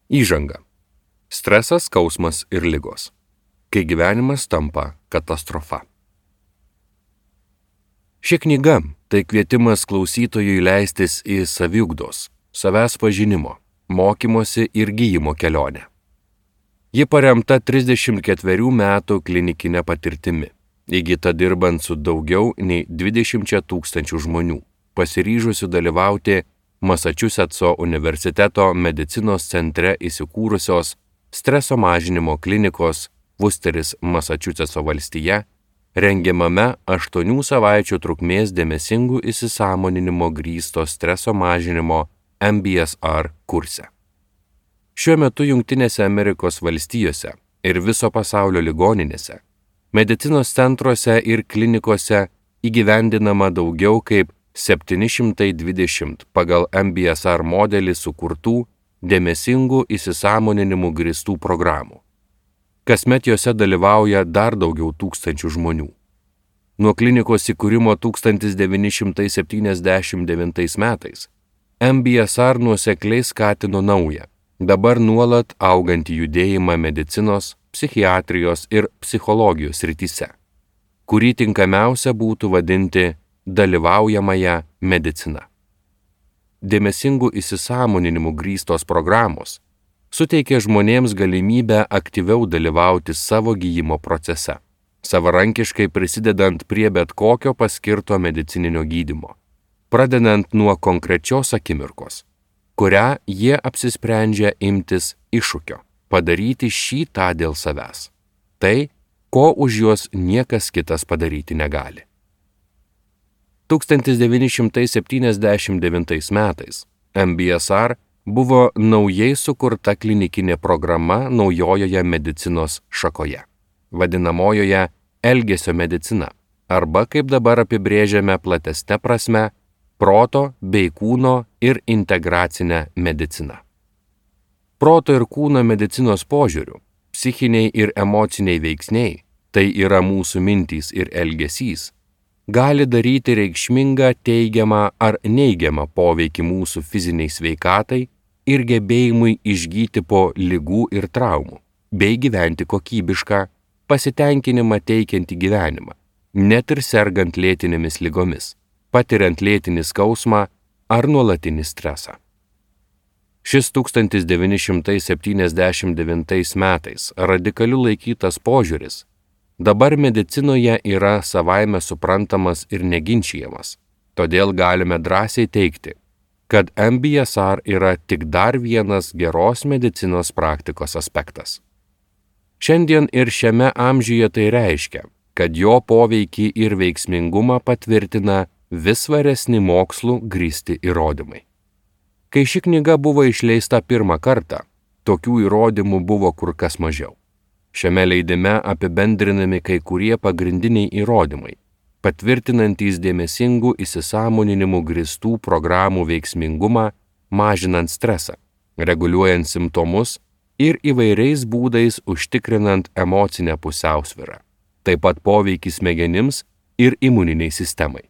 Įžanga. Stresas, skausmas ir ligos. Kai gyvenimas tampa katastrofa. Ši knyga tai kvietimas klausytojui leistis į saviugdos, savęs pažinimo, mokymosi ir gyjimo kelionę. Ji paremta 34 metų klinikinė patirtimi, įgyta dirbant su daugiau nei 20 000 žmonių, pasiryžusių dalyvauti Masačusetso universiteto medicinos centre įsikūrusios streso mažinimo klinikos Worcesteris, Masačusetso valstija, rengiamame 8 savaičių trukmės dėmesingų įsisąmoninimo grįsto streso mažinimo MBSR kurse. Šiuo metu Jungtinėse Amerikos valstijose ir viso pasaulio ligoninėse, medicinos centruose ir klinikose įgyvendinama daugiau kaip 720 pagal MBSR modelį sukurtų dėmesingų įsisąmoninimų grįstų programų. Kasmet jose dalyvauja dar daugiau tūkstančių žmonių. Nuo klinikos įkūrimo 1979 metais MBSR nuosekliai skatino naują, dabar nuolat augantį judėjimą medicinos, psichiatrijos ir psichologijos srityse, kurį tinkamiausia būtų vadinti dalyvaujamąją mediciną. Dėmesingų įsisąmoninimų grįstos programos suteikia žmonėms galimybę aktyviau dalyvauti savo gyjimo procese, savarankiškai prisidedant prie bet kokio paskirto medicininio gydymo, pradedant nuo konkrečios akimirkos, kurią jie apsisprendžia imtis iššūkio, padaryti šį tą dėl savęs. Tai, ko už juos niekas kitas padaryti negali. 1979 metais MBSR buvo naujai sukurta klinikinė programa naujojoje medicinos šakoje, vadinamojoje elgesio medicina, arba kaip dabar apibrėžiame platesne prasme, proto bei kūno ir integracinę mediciną. Proto ir kūno medicinos požiūriu, psichiniai ir emociniai veiksniai, tai yra mūsų mintys ir elgesys, gali daryti reikšmingą teigiamą ar neigiamą poveikį mūsų fiziniai sveikatai ir gebėjimui išgyti po ligų ir traumų, bei gyventi kokybišką, pasitenkinimą teikiantį gyvenimą, net ir sergant lėtinėmis ligomis, patiriant lėtinį skausmą ar nuolatinį stresą. Šis 1979 metais radikaliu laikytas požiūris dabar medicinoje yra savaime suprantamas ir neginčijamas, todėl galime drąsiai teigti, kad MBSR yra tik dar vienas geros medicinos praktikos aspektas. Šiandien ir šiame amžiuje tai reiškia, kad jo poveikį ir veiksmingumą patvirtina vis svaresni mokslų grįsti įrodymai. Kai ši knyga buvo išleista pirmą kartą, tokių įrodymų buvo kur kas mažiau. Šiame leidime apibendrinami kai kurie pagrindiniai įrodymai, patvirtinantys dėmesingų įsisąmoninimų grįstų programų veiksmingumą, mažinant stresą, reguliuojant simptomus ir įvairiais būdais užtikrinant emocinę pusiausvyrą, taip pat poveikį smegenims ir imuniniai sistemai.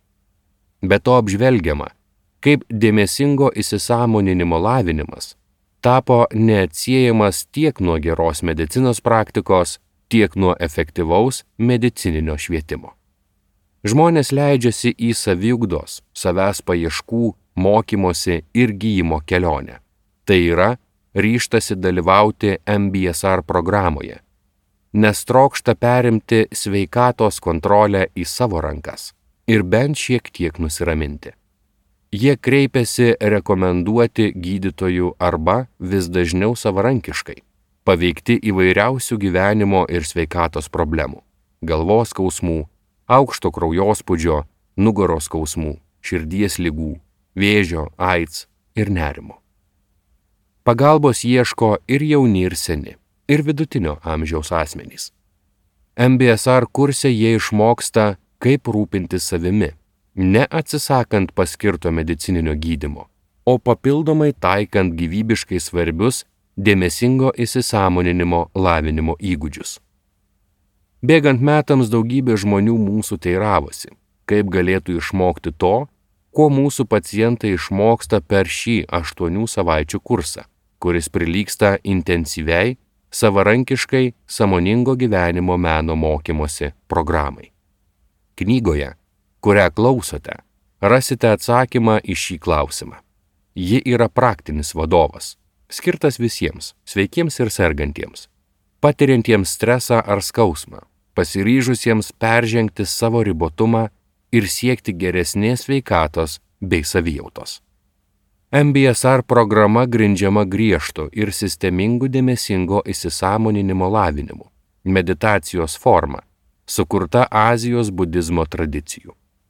Be to apžvelgiama, kaip dėmesingo įsisąmoninimo lavinimas tapo neatsiejamas tiek nuo geros medicinos praktikos, tiek nuo efektyvaus medicininio švietimo. Žmonės leidžiasi į saviugdos, savęs paieškų, mokymosi ir gyjimo kelionę. Tai yra, ryžtasi dalyvauti MBSR programoje, nes trokšta perimti sveikatos kontrolę į savo rankas ir bent šiek tiek nusiraminti. Jie kreipiasi rekomenduoti gydytojų arba vis dažniau savarankiškai, paveikti įvairiausių gyvenimo ir sveikatos problemų, galvos skausmų, aukšto kraujospūdžio, nugaros skausmų, širdies ligų, vėžio, AIDS ir nerimo. Pagalbos ieško ir jauni ir seni, ir vidutinio amžiaus asmenys. MBSR kurse jie išmoksta, kaip rūpintis savimi, ne atsisakant paskirto medicininio gydymo, o papildomai taikant gyvybiškai svarbius dėmesingo įsisąmoninimo lavinimo įgūdžius. Bėgant metams daugybė žmonių mūsų teiravosi, kaip galėtų išmokti to, ko mūsų pacientai išmoksta per šį 8 savaičių kursą, kuris prilygsta intensyviai, savarankiškai sąmoningo gyvenimo meno mokymosi programai. Knygoje, kurią klausote, rasite atsakymą į šį klausimą. Ji yra praktinis vadovas, skirtas visiems, sveikiems ir sergantiems, patiriantiems stresą ar skausmą, pasiryžusiems peržengti savo ribotumą ir siekti geresnės sveikatos bei savijautos. MBSR programa grindžiama griežtu ir sistemingu dėmesingo įsisąmoninimo lavinimu, meditacijos forma, sukurta Azijos budizmo tradicijų.